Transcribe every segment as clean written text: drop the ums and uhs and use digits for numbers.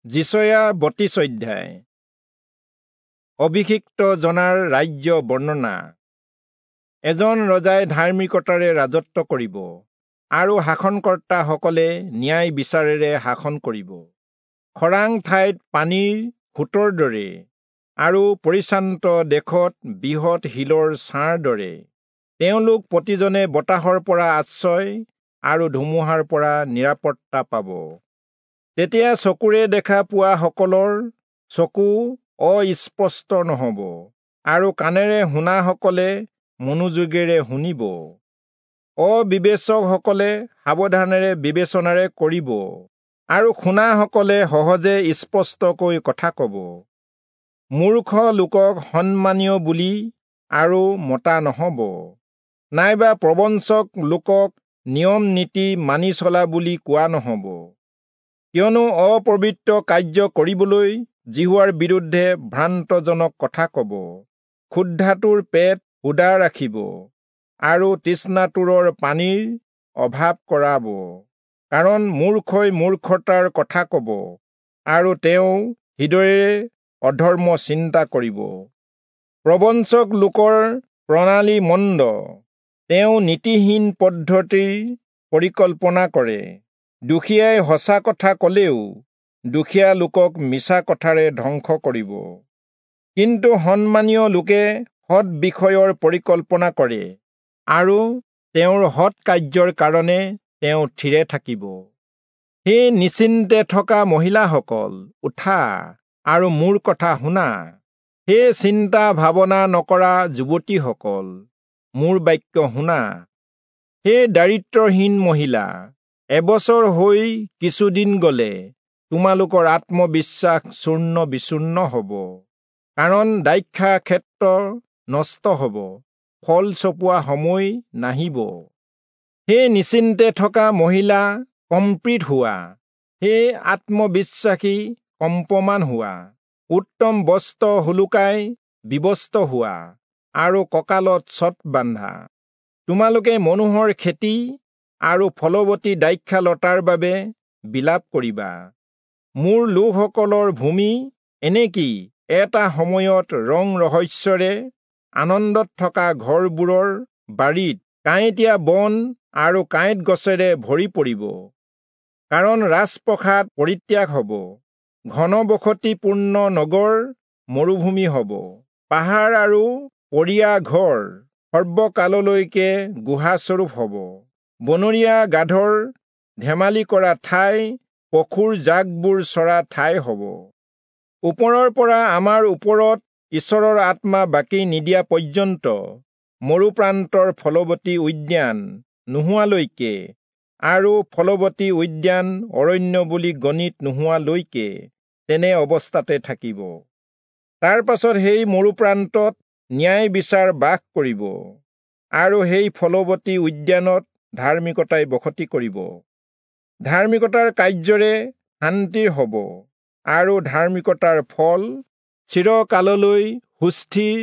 যিচয়া 32 অধ্যায়। অভিষিক্ত জনাৰ ৰাজ্য বৰ্ণনা। এজন ৰজাই ধাৰ্মিকতাৰে ৰাজত্ব কৰিব আৰু শাসনকৰ্তাসকলে ন্যায় বিচাৰেৰে শাসন কৰিব। খৰাং ঠাইত পানীৰ সোঁতৰ দৰে আৰু পৰিশ্ৰান্ত দেশত বৃহৎ শিলৰ ছাঁৰ দৰে তেওঁলোক প্ৰতিজনে বতাহৰ পৰা আশ্ৰয় আৰু ধুমুহাৰ পৰা নিৰাপত্তা পাব। তেতিয়া চকুৰে দেখা পোৱাসকলৰ চকু অস্পষ্ট নহ'ব আৰু কাণেৰে শুনাসকলে মনোযোগেৰে শুনিব। অবিবেচকসকলে সাৱধানেৰে বিবেচনাৰে কৰিব আৰু শুনাসকলে সহজে স্পষ্টকৈ কথা ক'ব। মূৰ্খ লোকক সন্মানীয় বুলি আৰু মতা নহ'ব, নাইবা প্ৰবঞ্চক লোকক নিয়ম নীতি মানি চলা বুলি কোৱা নহ'ব। কিয়নো অপবিত্ৰ কাৰ্য কৰিবলৈ যিহোৱাৰ বিৰুদ্ধে ভ্ৰান্তজনক কথা ক'ব, ক্ষুধাটোৰ পেট সুদা ৰাখিব আৰু তৃষ্ণাতুৰৰ পানীৰ অভাৱ কৰাব। কাৰণ মূৰ্খই মূৰ্খতাৰ কথা ক'ব আৰু তেওঁ হৃদয়েৰে অধৰ্ম চিন্তা কৰিব। প্ৰবঞ্চক লোকৰ প্ৰণালী মন্দ, তেওঁ নীতিহীন পদ্ধতিৰ পৰিকল্পনা কৰে। দুখীয়াই সঁচা কথা ক'লেও দুখীয়া লোকক মিছা কথাৰে ধ্বংস কৰিব। কিন্তু সন্মানীয় লোকে সৎ বিষয়ৰ পৰিকল্পনা কৰে আৰু তেওঁৰ সৎ কাৰ্যৰ কাৰণে তেওঁ থিৰে থাকিব। সেই নিশ্চিন্তে থকা মহিলাসকল, উঠা আৰু মোৰ কথা শুনা। সেই চিন্তা ভাৱনা নকৰা যুৱতীসকল, মোৰ বাক্য শুনা। সেই দাৰিদ্ৰ্যহীন মহিলা, এবছৰ হৈ কিছুদিন গ'লে তোমালোকৰ আত্মবিশ্বাস চূৰ্ণ বিচূৰ্ণ হ'ব। কাৰণ দ্ৰাক্ষা ক্ষেত্ৰ নষ্ট হ'ব, ফল চপোৱা সময় নাহিব। সেই নিশ্চিন্তে থকা মহিলা, কম্পিত হোৱা। সেই আত্মবিশ্বাসী, কম্পমান হোৱা। উত্তম বস্ত্ৰ হুলুকাই বিৱস্ত্ৰ হোৱা আৰু কঁকালত চট বান্ধা। তোমালোকে মনোহৰ খেতি আৰু ফলৱতী দ্ৰাক্ষালতাৰ বাবে বিলাপ কৰিবা। মোৰ লোকসকলৰ ভূমি এনেকি এটা সময়ত ৰং ৰহস্যৰে আনন্দত থকা ঘৰবোৰৰ বাৰীত কাঁইটীয়া বন আৰু কাঁইট গছেৰে ভৰি পৰিব। কাৰণ ৰাজপ্ৰসাদ পৰিত্যাগ হ'ব, ঘনবসতিপূৰ্ণ নগৰ মৰুভূমি হ'ব, পাহাৰ আৰু পৰীয়া ঘৰ সৰ্বকাললৈকে গুহাস্বৰূপ হ'ব। বনৰীয়া গাধৰ ধেমালি কৰা ঠাই, পশুৰ জাকবোৰ চৰা ঠাই হ'ব। ওপৰৰ পৰা আমাৰ ওপৰত ঈশ্বৰৰ আত্মা বাকী নিদিয়া পৰ্যন্ত, মৰুপ্ৰান্তৰ ফলৱতী উদ্যান নোহোৱালৈকে আৰু ফলৱতী উদ্যান অৰণ্য বুলি গণিত নোহোৱালৈকে তেনে অৱস্থাতে থাকিব। তাৰ পাছত সেই মৰুপ্ৰান্তত ন্যায় বিচাৰ বাস কৰিব আৰু সেই ফলৱতী উদ্যানত ধাৰ্মিকতাই বসতি কৰিব। ধাৰ্মিকতাৰ কাৰ্যৰে শান্তিৰ হ'ব আৰু ধাৰ্মিকতাৰ ফল চিৰকাললৈ সুস্থিৰ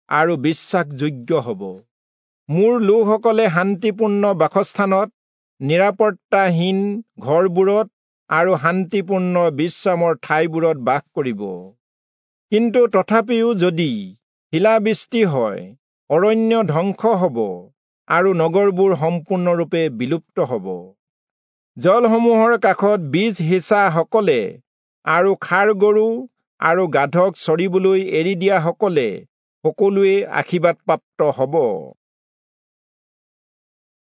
আৰু বিশ্বাসযোগ্য হ'ব। মোৰ লোকসকলে শান্তিপূৰ্ণ বাসস্থানত, নিৰাপত্তাহীন ঘৰবোৰত আৰু শান্তিপূৰ্ণ বিশ্ৰামৰ ঠাইবোৰত বাস কৰিব। কিন্তু তথাপিও যদি শিলাবৃষ্টি হয়, অৰণ্য ধ্বংস হ'ব আৰু নগৰবোৰ সম্পূৰ্ণৰূপে বিলুপ্ত হ'ব। জলসমূহৰ কাষত বীজ সিঁচাসকলে আৰু ষাঁড় গৰু আৰু গাধক চৰিবলৈ এৰি দিয়াসকলে সকলোৱে আশীৰ্বাদপ্ৰাপ্ত হ'ব।